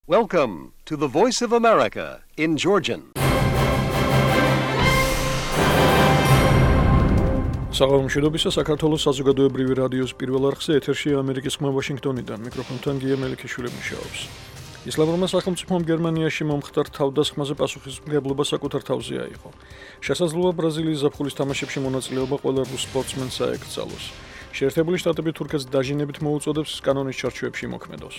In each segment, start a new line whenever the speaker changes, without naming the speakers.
Welcome to the Voice of America in Georgian.
საღამომშვიდობისა საქართველოს საზოგადოებრივი რადიოს პირველ არხზე ეთერში ამერიკის ხმა ვაშინგტონიდან მიკროფონთან გია მელიქიშვილი მუშაობს. ისლამურმა სახელმწიფომ გერმანიაში მომხდარ თავდასხმაზე პასუხისმგებლობა საკუთარ თავზე აიღო. შესაძლოა ბრაზილიის ზაფხულის თამაშებში მონაწილეობა ყველა რუს სპორტსმენს აეკრძალოს. შეერთებული შტატები თურქეთს დაჟინებით მოუწოდებს კანონის ჩარჩოებში მოქმედოს.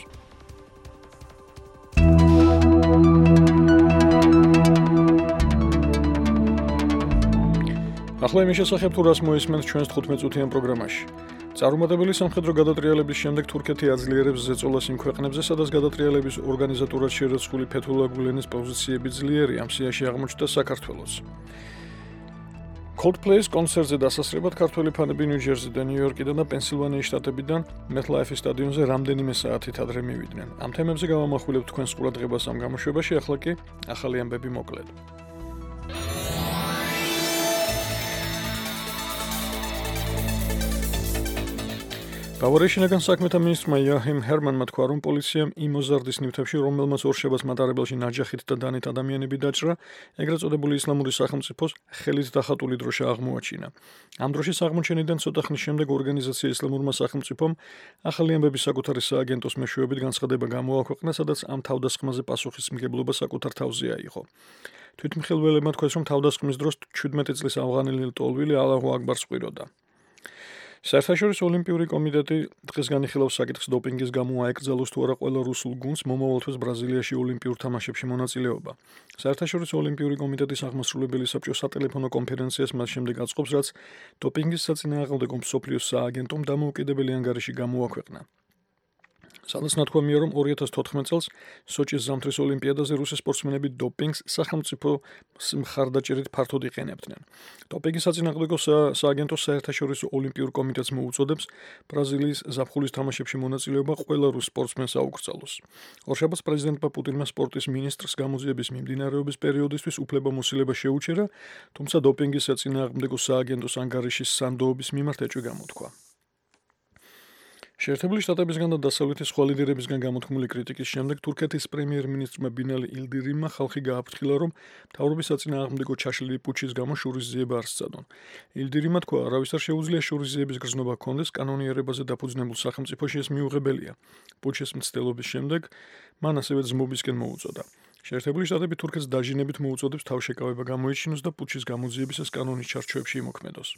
ახლა იმის შესახებ თუ რას მოისმენთ ჩვენს 15 წუთიან პროგრამაში. წარუმატებელი სამხედრო გადატრიალების შემდეგ თურქეთი აძლიერებს ზეწოლას იმ ქვეყნებზე, სადაც გადატრიალების ორგანიზატორად შერაცხული ფეთულა გულენის პოზიციები ძლიერია, ამ სიაში აღმოჩნდა საქართველოც. Coldplay-ის კონცერტზე დასასრებად ქართველი ფანები ნიუ-ჯერსიდან, ნიუ-იორკიდან და პენსილვანიის შტატებიდან MetLife სტადიონზე რამდენიმე საათით ადრე მივიდნენ. ამ თემებზე გავამახვილებთ თქვენს ყურადღებას ამ გამოშვებაში, ახლა კი ახალი ამბები მოკლედ. ბავარიის შინაგან საქმეთა მინისტრმა იოაჰიმ ჰერმანმა თქვა, რომ პოლიციამ იმ ოზარდის ნივთებში, რომელმაც ორშაბათს მატარებელში ნაჯახით და დანით ადამიანები დაჭრა, ეგრეთ წოდებული ისლამური სახელმწიფოს ხელით დახატული დროშა აღმოაჩინა. ამ დროშის აღმოჩენიდან ცოტა ხნის შემდეგ ორგანიზაცია ისლამურმა სახელმწიფომ ახალი ამბების საკუთარი სააგენტოს მეშვეობით განცხადება გამოაქვეყნა, სადაც ამ თავდასხმაზე პასუხისმგებლობა საკუთარ თავზე აიღო. თვითმხილველებმა თქვეს, რომ თავდასხმის დროს 17 წლის ავღანელი ლტოლვილი ალაჰუ აკბარს ყვიროდა. საერთაშორისო ოლიმპიური კომიტეტი დღეს განიხილავს საკითხს დოპინგის გამო აეკრძალოს თუ არა ყველა რუსულ გუნდს მომავალ თვეს ბრაზილიაში ოლიმპიურ თამაშებში მონაწილეობა. საერთაშორისო ოლიმპიური კომიტეტის აღმასრულებელი საბჭო სატელეფონო კონფერენციას მას შემდეგ აწყობს, რაც დოპინგის საწინააღმდეგო მსოფლიოს სააგენტომ დამოუკიდებელი ანგარიში გამოაქვეყნა. სადაც ნათქვამია, რომ 2014 წელს სოჭის ზამთრის ოლიმპიადაზე რუსი სპორტსმენები დოპინგს სახელმწიფო მხარდაჭერით ფართოდ იყენებდნენ. დოპინგის საწინააღმდეგო სააგენტო საერთაშორისო ოლიმპიურ კომიტეტს მოუწოდებს ბრაზილიის ზაფხულის თამაშებში მონაწილეობა ყველა რუს სპორტსმენს აუკრძალოს. ორშაბათს პრეზიდენტმა პუტინმა სპორტის მინისტრს გამოძიების მიმდინარეობის პერიოდისთვის უფლებამოსილება შეუჩერა, თუმცა დოპინგის საწინააღმდეგო სააგენტოს ანგარიშის სანდოობის მიმართ ეჭვი გამოთქვა. შეერთებული შტატებისგან და დასავლეთის სხვა ლიდერებისგან გამოთქმული კრიტიკის შემდეგ თურქეთის პრემიერ-მინისტრმა ბინალი ილდირიმმა ხალხი გააფრთხილა, რომ მთავრობის საწინააღმდეგო ჩაშლილი პუჩის გამო შურისძიება არ სცადონ. ილდირიმმა თქვა, არავის არ შეუძლია შურისძიების გრძნობა ჰქონდეს, კანონიერებაზე დაფუძნებულ სახელმწიფოში ეს მიუღებელია. პუჩის მცდელობის შემდეგ მან ასევე ძმობისკენ მოუწოდა. შეერთებული შტატები თურქეთს დაჟინებით მოუწოდებს თავშეკავება გამოიჩინოს და პუჩის გამოძიებისას კანონის ჩარჩოებში იმოქმედოს.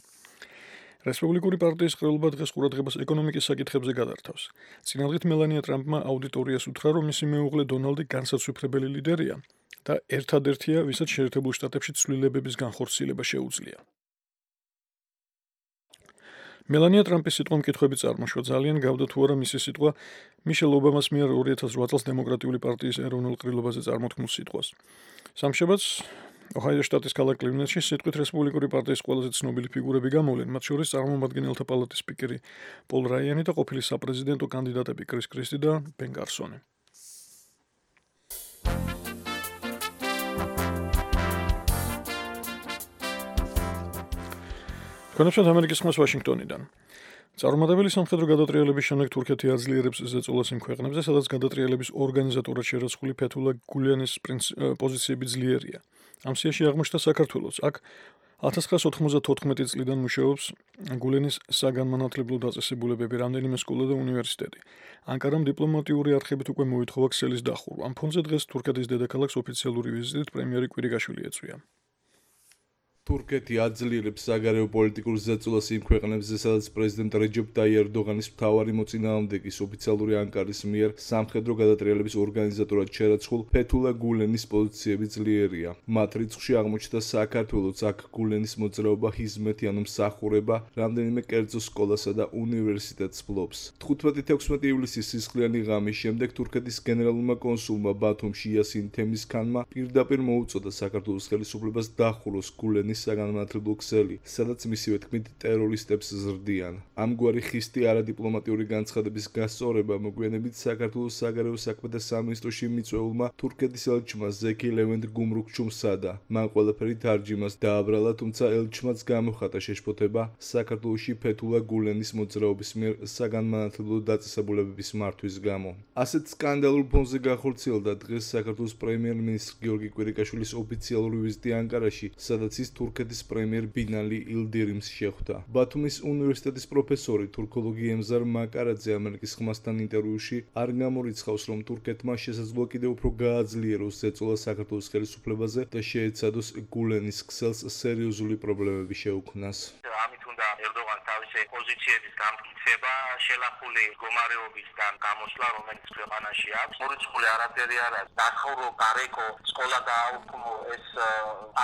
რესპუბლიკური პარტიის ყრილობა დღეს ყურადღებას ეკონომიკის საკითხებზე გადართავს. წინადღით მელანია ტრამპმა აუდიტორიას უთხრა, რომ მისი მეუღლე დონალდი განსაცვიფრებელი ლიდერია და ერთადერთია, ვისაც შეერთებულ შტატებში ცვლილებების განხორციელება შეუძლია. მელანია ტრამპის სიტყვა მკითხვები წარმოშვა, ძალიან გავდა თუ არა მისი სიტყვა მიშელ ობამას მიერ 2008 წელს დემოკრატიული პარტიის ეროვნულ ყრილობაზე წარმოთქმულ სიტყვას. სამშაბათს ოჰაიოს შტატის ქალაქ კლივნეტში სიტყვით რესპუბლიკური პარტიის ყველაზე ცნობილი ფიგურები გამოვლენ, მათ შორის წარმომადგენელთა პალატის სპიკერი პოლ რაიანი და ყოფილი საპრეზიდენტო კანდიდატები კრის კრისტი და ბენ გარსონი. თქვენებსათ ამერიკის ხმას ვაშინგტონიდან. წარუმატებელი სამხედრო გადატრიალების შემდეგ თურქეთი აძლიერებს ზეწოლას იმ ქვეყნებზე, სადაც გადატრიალების ორგანიზატორად შერაცხული ფეთულა გულენის პოზიციები ძლიერია. ამ სიაში აღმოჩნდა საქართველოც. აქ 1994 წლიდან მუშაობს გულენის საგანმანათლებლო დაწესებულებები, რამდენიმე სკოლა და უნივერსიტეტი. ანკარამ დიპლომატიური არხებით უკვე მოითხოვა ქსელის დახურვა. ამ ფონზე დღეს თურქეთის დედაქალაქს ოფიციალური ვიზიტით პრემიერი კვირიკაშვილი ეწვია.
თურქეთი აძლიერებს საგარეო პოლიტიკურ ზეწოლას იმ ქვეყნებზე, სადაც პრეზიდენტ რეჯეფ ტაიიპ ერდოღანის მთავარი მოწინააღმდეგის ოფიციალური ანკარის მიერ სამხედრო გადატრიალების ორგანიზატორად შერაცხულ ფეთულა გულენის პოზიციები ძლიერია. მათ რიცხვში აღმოჩნდა საქართველოც, აქ გულენის მოძრაობა ჰიზმეთი ანუ მსახურება რამდენიმე კერძო სკოლასა და უნივერსიტეტს ფლობს. 15-16 ივლისის სისხლიანი ღამის შემდეგ თურქეთის გენერალურმა კონსულმა ბათუმში იასინ თემისქანმა პირდაპირ მოუწოდა საქართველოს ხელისუფლებას დახუროს გულენის გულენის საგანმანათლებლო ქსელი, სადაც მისივე თქმით ტერორისტებს ზრდიან. ამგვარი ხისტი არადიპლომატიური განცხადების გასწორება მოგვიანებით საქართველოს საგარეო საქმეთა სამინისტროში მიწვეულმა თურქეთის ელჩმა ზეკი ლევენთ გუმრუქჩუმ სცადა. მან ყველაფერი თარჯიმას დააბრალა, თუმცა ელჩმაც გამოხატა შეშფოთება საქართველოში ფეთულა გულენის მოძრაობის მიერ საგანმანათლებლო დაწესებულებების მართვის გამო. ასეთ სკანდალურ ფონზე გახორციელდა დღეს საქართველოს პრემიერ-მინისტრ გიორგი კვირიკაშვილის ოფიციალური ვიზიტი ანკარაში, სადაც ის თურქეთის პრემიერ ბინალი ილდირიმს შეხვდა. ბათუმის უნივერსიტეტის პროფესორი თურქოლოგი ემზარ მაკარაძე ამერიკის ხმასთან ინტერვიუში არ გამორიცხავს, რომ თურქეთმა შესაძლოა კიდევ უფრო გააძლიეროს ზეწოლა საქართველოს ხელისუფლებაზე და შეეცადოს გულენის ქსელს სერიოზული პრობლემები შეუქმნას.
ამით უნდა ერდოღანს თავისი პოზიციების გამტკიცება, შელახული მდგომარეობისგან გამოსვლა, რომელიც ქვეყანაში აქვს. მორიცხული არაფერი არ არის. დახურო, გარეკო, სკოლა გააუქმო, ეს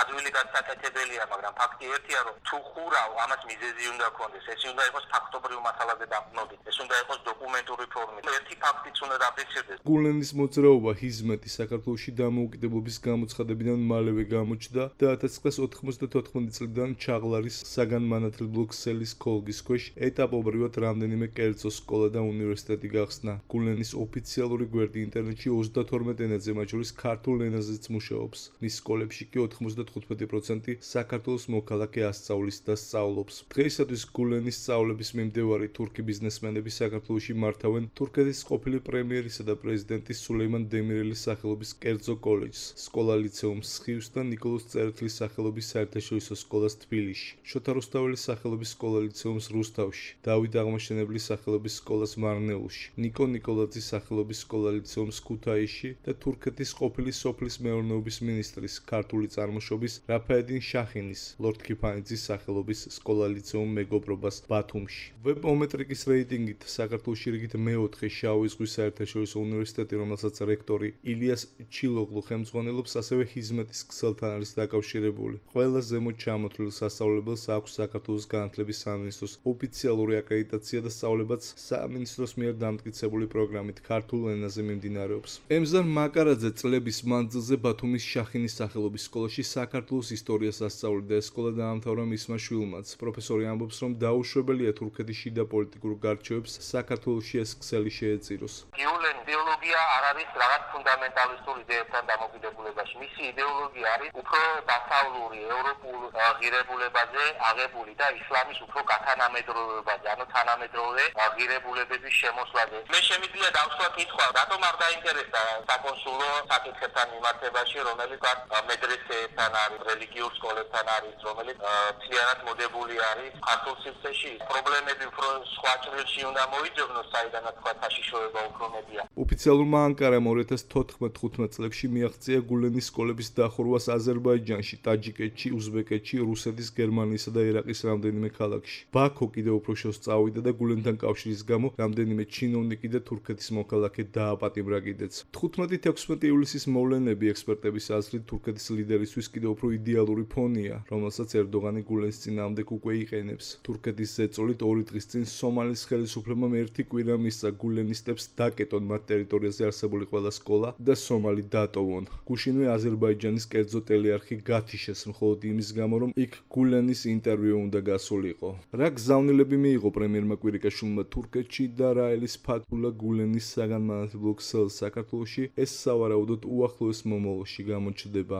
ადვილი გასაკეთებელია, მაგრამ ფაქტი ერთია, რომ თუ ხურავ, ამას მიზეზი უნდა ქონდეს. ეს უნდა იყოს ფაქტობრივ მასალაზე დაყრდნობით. ეს უნდა იყოს დოკუმენტური ფორმით. ერთი ფაქტიც უნდა დაფიქსირდეს.
გულენის მოძრაობა ჰიზმეტი საქართველოში დამოუკიდებლობის გამოცხადებიდან მალევე გამოჩნდა და 1994 წლიდან ჩაღლარის საგანმანათლებლო ქსელის ქოლგის ქვეშ ეტაპობრივად რამდენიმე კერძო სკოლა და უნივერსიტეტი გახსნა. გულენის ოფიციალური გვერდი ინტერნეტში 32 ენაზე, მათ შორის ქართულ ენაზეც მუშაობს. მის სკოლებში კი 95% საქართველოს მოქალაქე ასწავლის და სწავლობს. დღეისათვის გულენის სწავლების მიმდევარი თურქი ბიზნესმენები საქართველოში მართავენ თურქეთის ყოფილი პრემიერისა და პრეზიდენტის სულეიმან დემირელის სახელობის კერძო კოლეჯს, სკოლა-ლიცეუმს სხივს და ნიკოლოზ წერეთლის სახელობის საერთაშორისო სკოლას თბილისში, შოთა რუსთაველის სახელობის სკოლა-ლიცეუმს რუსთავში, დავით აღმაშენებლის სახელობის სკოლას მარნეულში, ნიკო ნიკოლაძის სახელობის სკოლა-ლიცეუმს ქუთაისში და თურქეთის ყოფილი სოფლის მეურნეობის მინისტრის ქართული წარმოშობის რაფაედინ შახინის, ლორდ ქიფანიძის სახელობის სკოლა-ლიცეუმ მეგობრობას ბათუმში. ვებომეტრიკის რეიტინგით საქართველოში რიგით მეოთხე შავი ზღვის საერთაშორისო უნივერსიტეტი, რომელსაც რექტორი ილიას ჩილოღლუ ხელმძღვანელობს, ასევე ჰიზმეტის ქსელთან არის დაკავშირებული. ყველა ზემოთ ჩამოთვლილ სასწავლებელს აქვს საქართველოს განათლების სამინისტროს ოფიციალური აკრედიტაცია და სწავლებაც სამინისტროს მიერ დამტკიცებული პროგრამით ქართულ ენაზე მიმდინარეობს. ემზარ მაკარაძე წლების მანძილზე ბათუმის შახინის სახელობის სკოლაში საქართველოს ისტორიას ასწავლიდა. ეს სკოლა დაამთავრა მისმა შვილმაც. პროფესორი ამბობს, რომ დაუშვებელია თურქეთის შიდა პოლიტიკურ გარჩევებს საქართველოში ეს ქსელი შეეწიროს.
გულენის იდეოლოგია არ არის რაღაც ფუნდამენტალისტურ იდეებთან დამოკიდებულებაში. მისი იდეოლოგია არის უფრო დასავლური, ევროპულ ღირებულებაზე აღებული და ისლამის უფრო გათანამედროვებაზე, ანუ თანამედროვე ღირებულებების შემოსვლაზე. მე შემიძლია დავსვა კითხვა, რატომ არ დაინტერესდა საკონსულო საკითხებთან მიმართებაში, რომელიც მედრესეებთან არის, რელიგიურ სკოლებთან არის, რომელიც მთლიანად მოდებული არის ქართულ სივრცეში. პრობლემები უფრო სხვა ჭრილში უნდა მოიძებნოს, საიდანაც თქვა საშიშროება უფრო მეტია.
ოფიციალურმა ანკარამ 2014-15 წლებში მიაღწია გულენის სკოლების დახურვას აზერბაიჯანში, ტაჯიკეთში, უზბეკეთში, რუსეთის, გერმანიისა და ერაყის რამდენიმე ქალაქში. ბაქო კიდევ უფრო შორს წავიდა და გულენთან კავშირის გამო რამდენიმე ჩინოვნიკი და თურქეთის მოქალაქე დააპატიმრა კიდეც. 15-16 ივლისის მოვლენები ექსპერტების აზრით თურქეთის ლიდერისთვის კიდევ უფრო იდეალური ფონია, რომელსაც ერდოღანი გულენის წინააღმდეგ უკვე იყენებს. თურქეთის ზეწოლით 2 დღის წინ სომალის ხელისუფლებამ 1 კვირა მისცა გულენისტებს დაკეტონ მათ ტერიტორიაზე არსებული ყველა სკოლა და სომალი დატოვონ. გუშინვე აზერბაიჯანის კერძო ტელეარხი გათიშეს მხოლოდ იმის გამო, რომ იქ გულენის ინტერვიუ უნდა გასულიყო. რა გზავნილები მიიღო პრემიერმა კვირიკაშვილმა თურქეთში და რა ელის ფათულა გულენის საგანმანათლებლო ქსელს საქართველოში, ეს სავარაუდოდ უახლოეს მომავალში გამოჩნდება.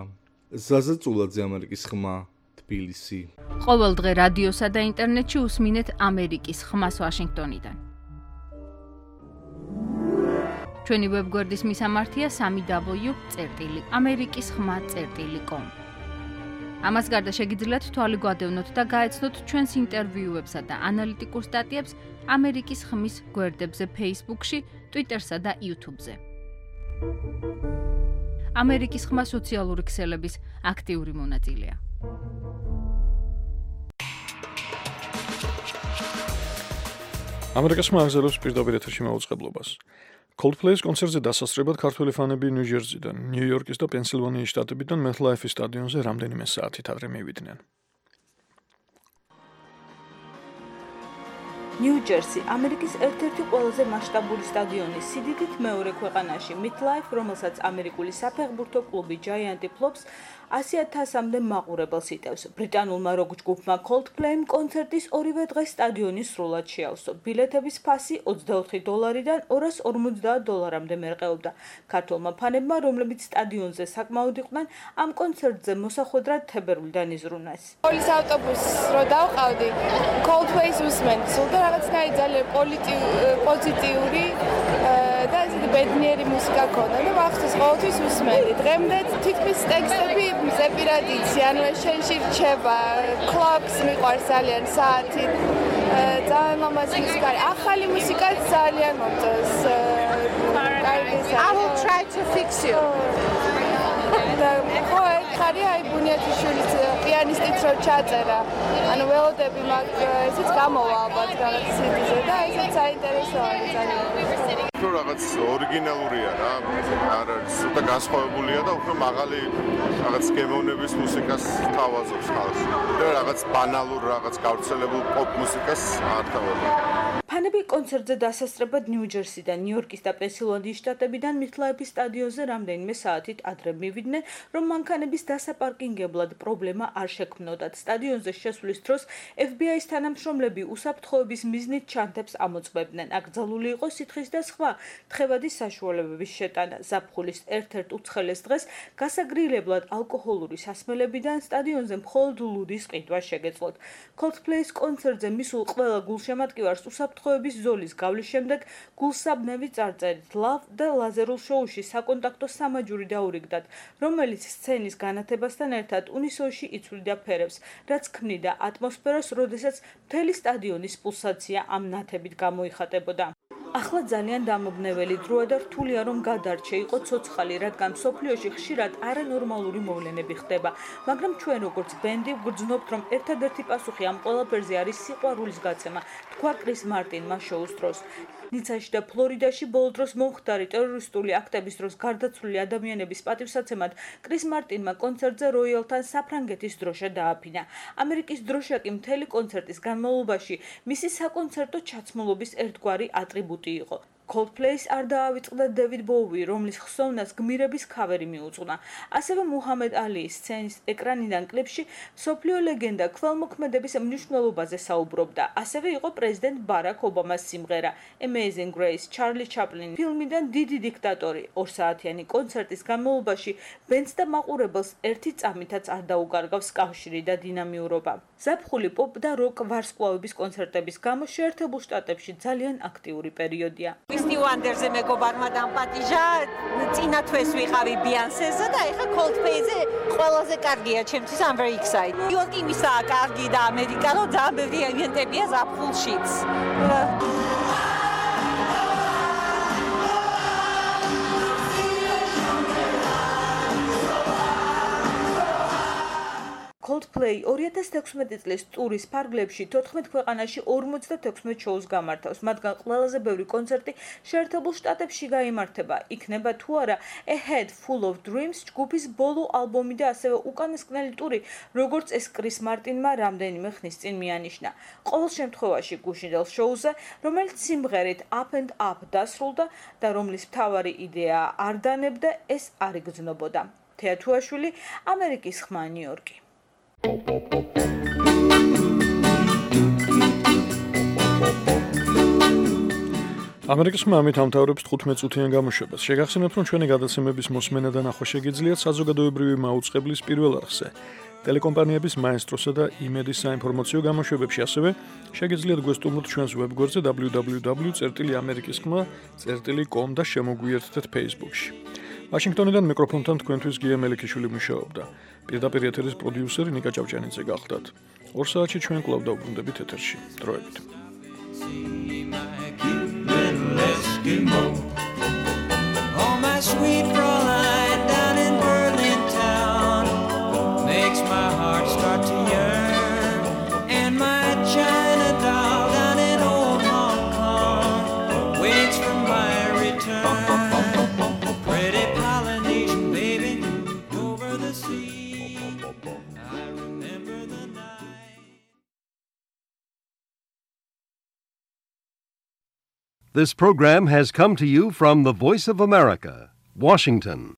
ზაზა წულაძე, ამერიკის ხმა, თბილისი.
ყოველ დღე რადიოსა და ინტერნეტში უსმინეთ ამერიკის ხმას ვაშინგტონიდან. ჩვენი ვებგვერდის მისამართია www.amerikiskhma.com. ამას გარდა შეგიძლიათ თვალი გვადევნოთ და გაეცნოთ ჩვენს ინტერვიუებსა და ანალიტიკურ სტატიებს ამერიკის ხმის გვერდებზე Facebook-ში, Twitter-სა და YouTube-ზე. ამერიკის ხმა სოციალური ქსელების აქტიური მონაწილეა.
ამერიკის ხმა აგზელებს პირდაპირ ეთერში მაუწყებლობას. Coldplay-ის კონცერტზე დასასწრებად ქართველი ფანები ნიუ-ჯერზიდან, ნიუ-იორკის და პენსილვანიის შტატებიდან MetLife სტადიონზე რამდენიმე საათით ადრე მივიდნენ.
ნიუ-ჯერსი ამერიკის ერთ-ერთი ყველაზე მასშტაბური სტადიონი, სიდიდით მეორე ქვეყანაში, MetLife, რომელსაც ამერიკული საფეხბურთო კლუბი Giants ფლობს, 100,000-მდე მაყურებელს იტევს. ბრიტანულმა როკ ჯგუფმა Coldplay-მ კონცერტის ორივე დღეს სტადიონი სრულად შეავსო. ბილეთების ფასი $24-დან $250-მდე მერყეობდა. ქართველმა ფანებმა, რომლებიც სტადიონზე საკმაოდ იყვნენ, ამ კონცერტზე მოსახვედრად თებერვლიდან იზრუნეს.
პოლის ავტობუსს რო დავყავდი, Coldplay-ს უსმენდი, სულ და რაღაცნაირი ძალიან პოზიტიური და ისეთი ბედნიერი მუსიკა ქონდა და მახსოვს ყოველთვის უსმენდი. დღემდე თითქმის ტექსტები ზეპირად იცი, ანუ შენში რჩება, Clocks მიყვარს ძალიან საათი. ძალიან ლამაზი მუსიკა, ახალი მუსიკაც ძალიან მომწონს. I will try to fix you. ხო, ხარია აი ბუნიათიშვილის პიანისტიც რო ჩაწერა. ანუ ველოდები მაგ ესეც გამოვა ალბათ რაღაც CD-ზე და ესეც საინტერესოა ძალიან.
უფრო რაღაც ორიგინალურია რა, არ არის ცოტა განსხვავებულია და უფრო მაღალი რაღაც გემოვნების მუსიკას თავაზობს ხალხს. და რაღაც ბანალურ, რაღაც გავრცელებულ პოპ მუსიკას არ თავაზობს.
ფანები კონცერტზე დასასწრებად ნიუ-ჯერსიდან, ნიუ-იორკის და პენსილვანიის შტატებიდან MetLife-ის სტადიონზე რამდენიმე საათით ადრე მივიდნენ, რომ მანქანების დასაპარკინგებლად პრობლემა არ შექმნოდათ. სტადიონზე შესვლის დროს FBI-ის თანამშრომლები უსაფრთხოების მიზნით ჩანთებს ამოწმებდნენ. აკრძალული იყო სითხის და სხვა თხევადის საშუალებების შეტანა. ზაფხულის ერთ-ერთ უცხელეს დღეს გასაგრილებლად ალკოჰოლური სასმელებიდან სტადიონზე მხოლოდ ლუდის ყიდვა შეგეძლოთ. Coldplay-ის კონცერტზე მისულ ყველა გულშემატკივარს უსაფრთხოების ზოლის გავლის შემდეგ გულსაბნევი წარწერით Love და ლაზერულ შოუში საკონტაქტო სამაჯური დაურიგდათ, რომელიც სცენის განათებასთან ერთად უნისოში იცვლიდა ფერებს, რაც ქმნიდა ატმოსფეროს, როდესაც მთელი სტადიონის პულსაცია ამ ნათებით გამოიხატებოდა. ახლა ძალიან დამობნეველი დროა და რთულია რომ გადარჩე, იყო ცოცხალი, რადგან მსოფლიოში ხშირად არანორმალური მოვლენები ხდება, მაგრამ ჩვენ როგორც ბენდი ვგრძნობთ, რომ ერთადერთი პასუხი ამ ყველაფერზე არის სიყვარულის გაცემა, თქვა კრის მარტინმა შოუს დროს. ნიცაში და ფლორიდაში ბოლო დროს მომხდარი ტერორისტული აქტების დროს გარდაცვლილი ადამიანების პატივსაცემად კრის მარტინმა კონცერტზე როიალთან საფრანგეთის დროშა დააფინა. ამერიკის დროშა კი მთელი კონცერტის განმავლობაში მისი საკონცერტო ჩაცმულობის ერთგვარი ატრიბუტი იყო. Coldplay-ს არ დაავიწყდა David Bowie, რომლის ხსოვნას გმირების ქავერი მიუძღვნა. ასევე მუჰამედ ალიის სცენის ეკრანიდან კლიპში მსოფლიო ლეგენდა ქველმოქმედების მნიშვნელობაზე საუბრობდა. ასევე იყო პრეზიდენტ ბარაკ ობამას სიმღერა Amazing Grace, Charlie Chaplin ფილმიდან დიდი დიქტატორი. 2 საათიანი კონცერტის განმავლობაში ბენდს და მაყურებელს ერთი წამითაც არ დაუკარგავს კავშირი და დინამიურობა. ზაფხული პოპ და როკ ვარსკვლავების კონცერტების გამო შეერთებულ შტატებში ძალიან აქტიური პერიოდია.
Stevie Wonder-ზე მეგობარმა დამპატიჟა, წინა თვეს ვიყავი Beyoncé-ზე და ეხა Coldplay-ზე ყველაზე კარგია ჩემთვის, I'm very excited. ნიუ-იორკი მისაა კარგი და ამერიკა რო ძალიან ბევრი ევენტებია ზაფხულშიც.
Coldplay 2016 წლის ტურის ფარგლებში 14 ქვეყანაში 56 შოუს გამართავს, მათგან ყველაზე ბევრი კონცერტი შეერთებულ შტატებში გაიმართება. იქნება თუ არა A Head Full of Dreams ჯგუფის ბოლო ალბომი და ასევე უკანასკნელი ტური, როგორც ეს კრის მარტინმა რამდენიმე ხნის წინ მიანიშნა. ყოველ შემთხვევაში გუშინდელ შოუზე, რომელიც სიმღერით Up and Up დასრულდა და რომლის მთავარი იდეა არ დანებდა, ეს არ იგრძნობოდა. თეათუაშვილი, ამერიკის ხმა, ნიუ-იორკი.
ამერიკის ხმა ამით ამთავრებს 15 წუთიან გამოშვებას. შეგახსენებთ, რომ ჩვენი გადაცემების მოსმენა და ნახვა შეგიძლიათ საზოგადოებრივი მაუწყებლის პირველ არხზე. ტელეკომპანიების მაესტროსა და იმედის საინფორმაციო გამოშვებებში ასევე შეგიძლიათ გვესტუმროთ ჩვენს ვებგვერდზე www.amerikiskhma.com და შემოგვიერთდეთ Facebook-ში. ვაშინგტონიდან მიკროფონთან თქვენთვის გია მელიქიშვილი მუშაობდა. პირდაპირ ეთერის პროდიუსერი ნიკა ჭავჭანიძე გახლდათ. 2 საათში ჩვენ კვლავ დავბრუნდებით ეთერში. დროებით.
Oh, my sweet Fräulein down in Berlin town makes my heart start to yearn, and my China doll down in old Hong Kong waits for my return. Pretty Polynesian baby over the sea, I remember the night.
This program has come to you from the Voice of America, Washington.